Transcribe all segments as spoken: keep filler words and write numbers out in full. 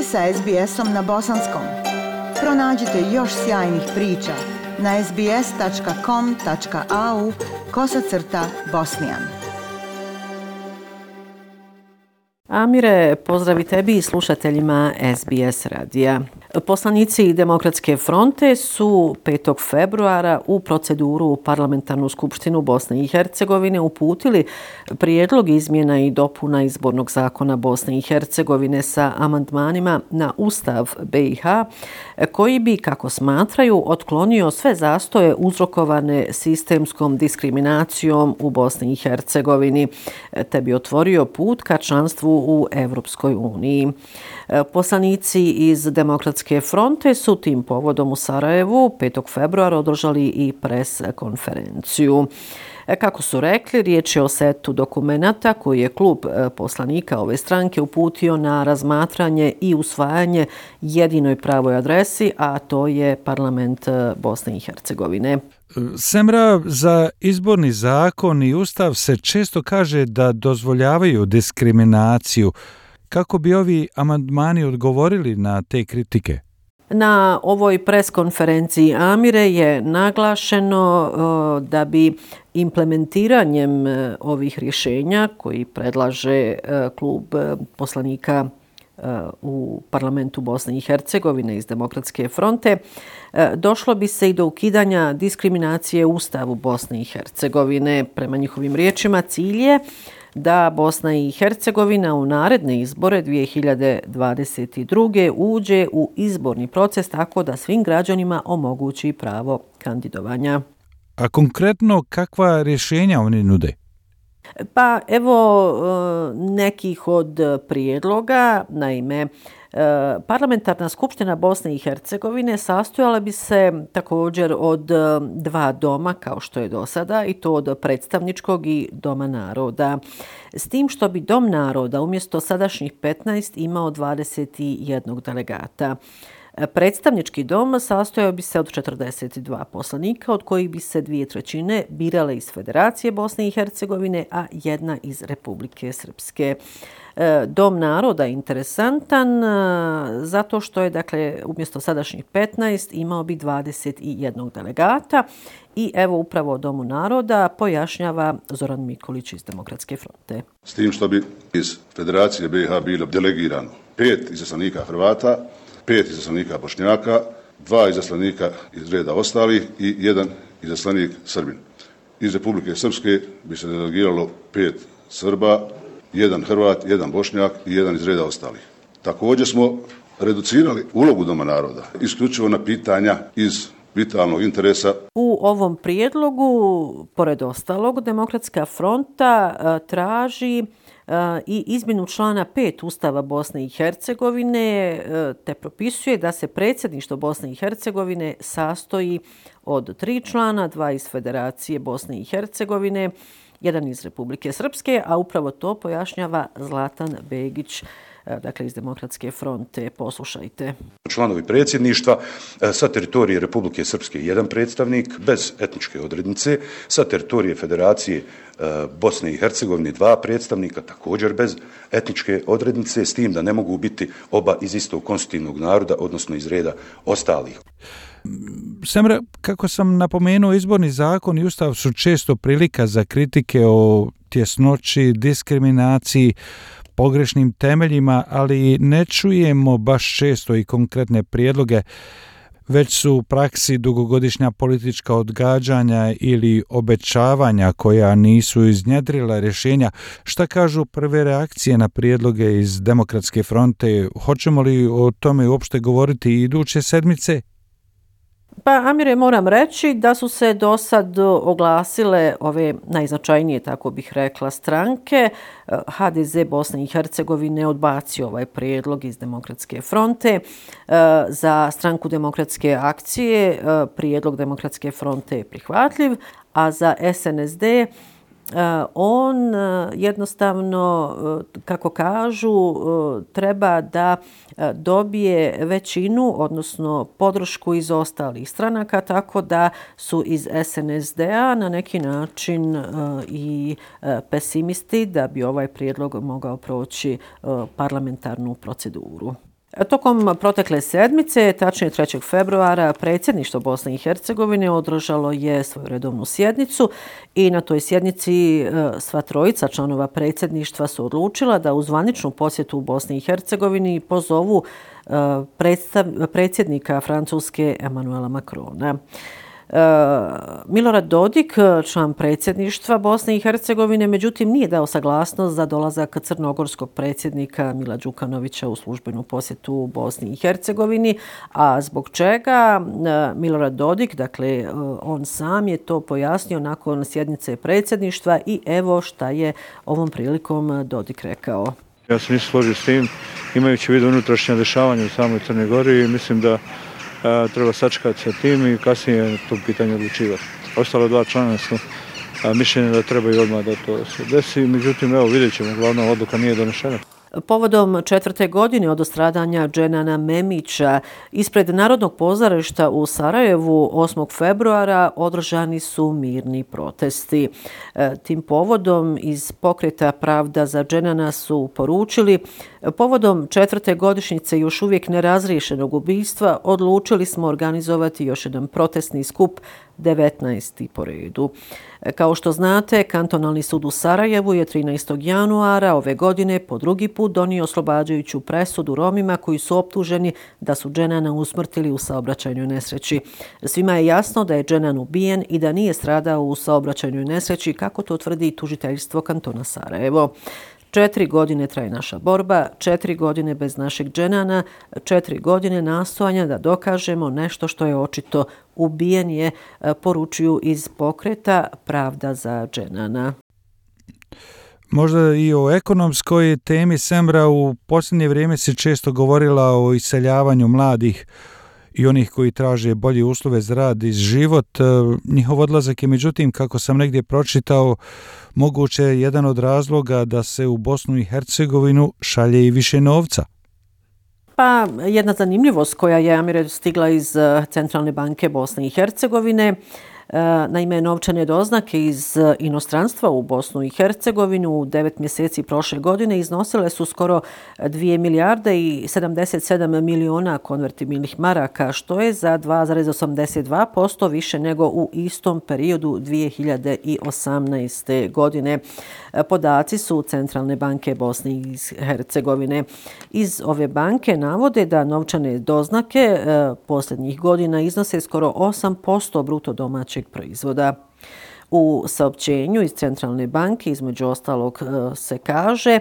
ste sa es be esom na bosanskom. Pronađite još sjajnih priča na es be es tačka com tačka a u kosacrta bosnijan. Amire, pozdrav i tebi i slušateljima es be es radija. Poslanici Demokratske fronte su petog februara u proceduru u Parlamentarnu skupštinu Bosne i Hercegovine uputili prijedlog izmjena i dopuna izbornog zakona Bosne i Hercegovine sa amandmanima na Ustav be i ha, koji bi, kako smatraju, otklonio sve zastoje uzrokovane sistemskom diskriminacijom u Bosni i Hercegovini, te bi otvorio put ka članstvu u Evropskoj uniji. Poslanici iz Demokratske fronte su tim povodom u Sarajevu petog februara održali i pres konferenciju. Kako su rekli, riječ je o setu dokumenata koji je klub poslanika ove stranke uputio na razmatranje i usvajanje jedinoj pravoj adresi, a to je parlament Bosne i Hercegovine. Semra, za izborni zakon i ustav se često kaže da dozvoljavaju diskriminaciju. Kako bi ovi amandmani odgovorili na te kritike? Na ovoj preskonferenciji, Amire, je naglašeno da bi implementiranjem ovih rješenja koji predlaže klub poslanika u parlamentu Bosne i Hercegovine iz Demokratske fronte, došlo bi se i do ukidanja diskriminacije u Ustavu Bosne i Hercegovine. Prema njihovim riječima, cilj je da Bosna i Hercegovina u naredne izbore dvije hiljade dvadeset druge uđe u izborni proces tako da svim građanima omogući pravo kandidovanja. A konkretno kakva rješenja oni nude? Pa evo nekih od prijedloga. Naime, Parlamentarna skupština Bosne i Hercegovine sastojala bi se također od dva doma, kao što je do sada, i to od predstavničkog i Doma naroda. S tim što bi Dom naroda umjesto sadašnjih petnaest imao dvadeset jedan delegata. Predstavnički dom sastojao bi se od četrdeset dva poslanika, od kojih bi se dvije trećine birale iz Federacije Bosne i Hercegovine, a jedna iz Republike Srpske. Dom naroda je interesantan zato što je, dakle, umjesto sadašnjih petnaest imao bi dvadeset jedan delegata i evo upravo o Domu naroda pojašnjava Zoran Mikolić iz Demokratske fronte. S tim što bi iz Federacije be i ha bilo delegirano pet izaslanika Hrvata, pet izaslanika Bošnjaka, dva izaslanika iz reda ostalih i jedan izaslanik Srbin. Iz Republike Srpske bi se delegiralo pet Srba, jedan Hrvat, jedan Bošnjak i jedan iz reda ostalih. Također smo reducirali ulogu Doma naroda isključivo na pitanja iz vitalnog interesa. U ovom prijedlogu, pored ostalog, Demokratska fronta traži i izmjenu člana pet Ustava Bosne i Hercegovine, te propisuje da se predsjedništvo Bosne i Hercegovine sastoji od tri člana, dva iz Federacije Bosne i Hercegovine, jedan iz Republike Srpske, a upravo to pojašnjava Zlatan Begić, dakle iz Demokratske fronte. Poslušajte. Članovi predsjedništva sa teritorije Republike Srpske jedan predstavnik bez etničke odrednice, sa teritorije Federacije Bosne i Hercegovine dva predstavnika također bez etničke odrednice, s tim da ne mogu biti oba iz istog konstitutivnog naroda, odnosno iz reda ostalih. Semra, kako sam napomenuo, izborni zakon i ustav su često prilika za kritike o tjesnoći, diskriminaciji, pogrešnim temeljima, ali ne čujemo baš često i konkretne prijedloge, već su u praksi dugogodišnja politička odgađanja ili obećavanja koja nisu iznjedrila rješenja. Šta kažu prve reakcije na prijedloge iz Demokratske fronte? Hoćemo li o tome uopšte govoriti iduće sedmice? Pa, Amire, moram reći da su se do sad oglasile ove najznačajnije, tako bih rekla, stranke. ha de ze Bosne i Hercegovine odbacio ovaj prijedlog iz Demokratske fronte. Za stranku Demokratske akcije prijedlog Demokratske fronte je prihvatljiv, a za es en es de on jednostavno, kako kažu, treba da dobije većinu, odnosno podršku iz ostalih stranaka, tako da su iz es en es de-a na neki način i pesimisti da bi ovaj prijedlog mogao proći parlamentarnu proceduru. Tokom protekle sedmice, tačnije trećeg februara, predsjedništvo Bosne i Hercegovine održalo je svoju redovnu sjednicu i na toj sjednici sva trojica članova predsjedništva su odlučila da u zvaničnu posjetu u Bosni i Hercegovini pozovu predsjednika Francuske Emmanuela Macrona. Milorad Dodik, član predsjedništva Bosne i Hercegovine, međutim nije dao saglasnost za dolazak crnogorskog predsjednika Mila Đukanovića u službenu posjetu u Bosni i Hercegovini, a zbog čega Milorad Dodik, dakle on sam je to pojasnio nakon sjednice predsjedništva i evo šta je ovom prilikom Dodik rekao. Ja se nisam složio s tim, imajući u vidu unutrašnja dešavanja u samoj Crnoj Gori i mislim da a, treba sačekati sa tim i kasnije to pitanje odlučivati. Ostalo dva člana su a, mišljenja da trebaju odmah da to se desi, međutim evo vidjet ćemo, glavna odluka nije donešena. Povodom četvrte godine od stradanja Dženana Memića ispred Narodnog pozorišta u Sarajevu osmog februara održani su mirni protesti. Tim povodom iz pokreta Pravda za Dženana su poručili: povodom četvrte godišnjice još uvijek nerazriješenog ubistva odlučili smo organizovati još jedan protestni skup, devetnaesti po redu. Kao što znate, Kantonalni sud u Sarajevu je trinaestog januara ove godine po drugi put donio oslobađajuću presudu Romima koji su optuženi da su Dženana usmrtili u saobraćajnoj nesreći. Svima je jasno da je Dženan ubijen i da nije stradao u saobraćajnoj nesreći, kako to tvrdi tužiteljstvo kantona Sarajevo. Četiri godine traje naša borba, četiri godine bez našeg Dženana, četiri godine nastojanja da dokažemo nešto što je očito. Ubijen je, poručuju iz pokreta Pravda za Dženana. Možda i o ekonomskoj temi, Semra, u posljednje vrijeme se često govorila o iseljavanju mladih i onih koji traže bolje uslove za rad i život. Njihov odlazak je, međutim, kako sam negdje pročitao, moguće jedan od razloga da se u Bosnu i Hercegovinu šalje i više novca. Pa jedna zanimljivost koja je, Amire, stigla iz Centralne banke Bosne i Hercegovine. Naime, novčane doznake iz inostranstva u Bosnu i Hercegovinu u devet mjeseci prošle godine iznosile su skoro dvije milijarde i sedamdeset sedam miliona konvertibilnih maraka, što je za dva zarez osamdeset dva posto više nego u istom periodu dvije hiljade osamnaeste. godine. Podaci su Centralne banke Bosne i Hercegovine. Iz ove banke navode da novčane doznake posljednjih godina iznose skoro osam posto bruto domaćeg proizvoda. U saopćenju iz Centralne banke između ostalog se kaže: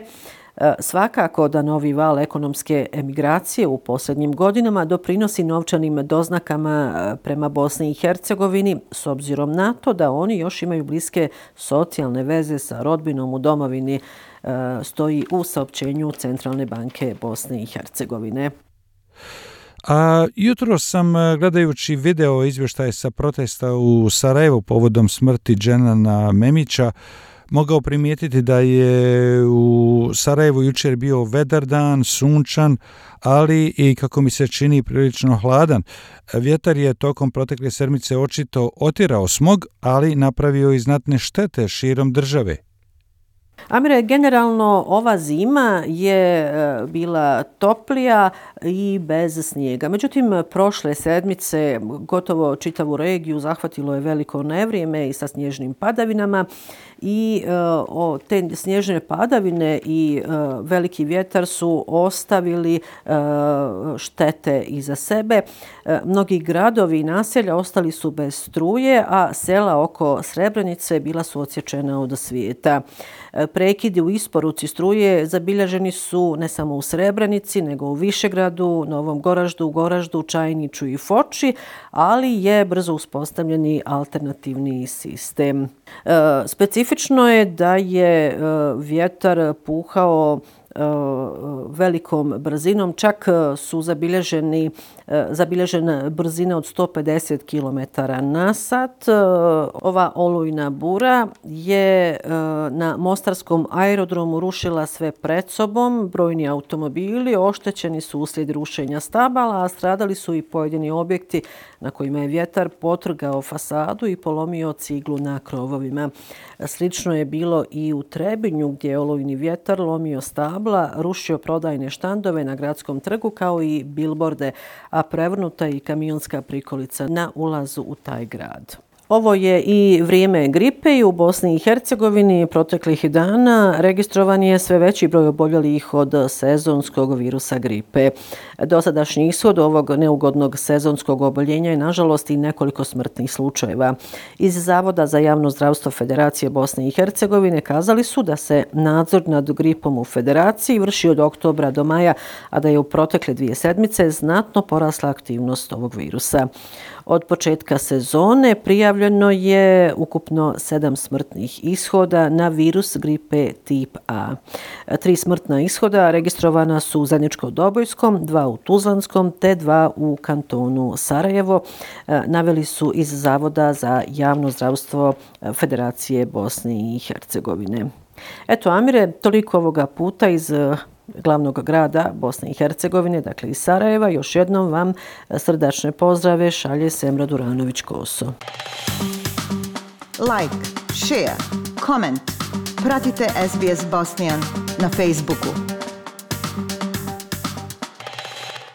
svakako da novi val ekonomske emigracije u posljednjim godinama doprinosi novčanim doznakama prema Bosni i Hercegovini, s obzirom na to da oni još imaju bliske socijalne veze sa rodbinom u domovini, stoji u saopćenju Centralne banke Bosne i Hercegovine. A jutro sam, gledajući video izvještaje sa protesta u Sarajevu povodom smrti Dženana Memića, mogao primijetiti da je u Sarajevu jučer bio vedar dan, sunčan, ali i, kako mi se čini, prilično hladan. Vjetar je tokom protekle sedmice očito otjerao smog, ali napravio i znatne štete širom države. Amire, generalno ova zima je bila toplija i bez snijega. Međutim, prošle sedmice gotovo čitavu regiju zahvatilo je veliko nevrijeme i sa snježnim padavinama i o, te snježne padavine i uh, veliki vjetar su ostavili uh, štete iza sebe. Uh, mnogi gradovi i naselja ostali su bez struje, a sela oko Srebrenice bila su odsječena od svijeta. Uh, prekidi u isporuci struje zabilježeni su ne samo u Srebrenici, nego u Višegradu, Novom Goraždu, Goraždu, Čajniću i Foči, ali je brzo uspostavljeni alternativni sistem. Uh, specifično je da je uh, vjetar puhao velikom brzinom, čak su zabilježeni, zabilježena brzina od sto pedeset kilometara na sat. Ova olujna bura je na mostarskom aerodromu rušila sve pred sobom. Brojni automobili oštećeni su uslijed rušenja stabala, a stradali su i pojedini objekti na kojima je vjetar potrgao fasadu i polomio ciglu na krovovima. Slično je bilo i u Trebinju, gdje je olujni vjetar lomio stabla, Kabula rušio prodajne štandove na gradskom trgu kao i bilborde, a prevrnuta i kamionska prikolica na ulazu u taj grad. Ovo je i vrijeme gripe i u Bosni i Hercegovini proteklih dana registrovan je sve veći broj oboljelih od sezonskog virusa gripe. Dosadašnji ishod ovog neugodnog sezonskog oboljenja je nažalost i nekoliko smrtnih slučajeva. Iz Zavoda za javno zdravstvo Federacije Bosne i Hercegovine kazali su da se nadzor nad gripom u Federaciji vrši od oktobra do maja, a da je u protekle dvije sedmice znatno porasla aktivnost ovog virusa. Od početka sezone prijavljeno je ukupno sedam smrtnih ishoda na virus gripe tip A. Tri smrtna ishoda registrovana su u Zeničko-Dobojskom, dva u Tuzlanskom te dva u kantonu Sarajevo, naveli su iz Zavoda za javno zdravstvo Federacije Bosne i Hercegovine. Eto, Amire, toliko ovoga puta iz glavnog grada Bosne i Hercegovine, dakle iz Sarajeva. Još jednom vam srdačne pozdrave šalje Semra Duranović-Koso. Like, share, comment. Pratite S B S Bosnian na Facebooku.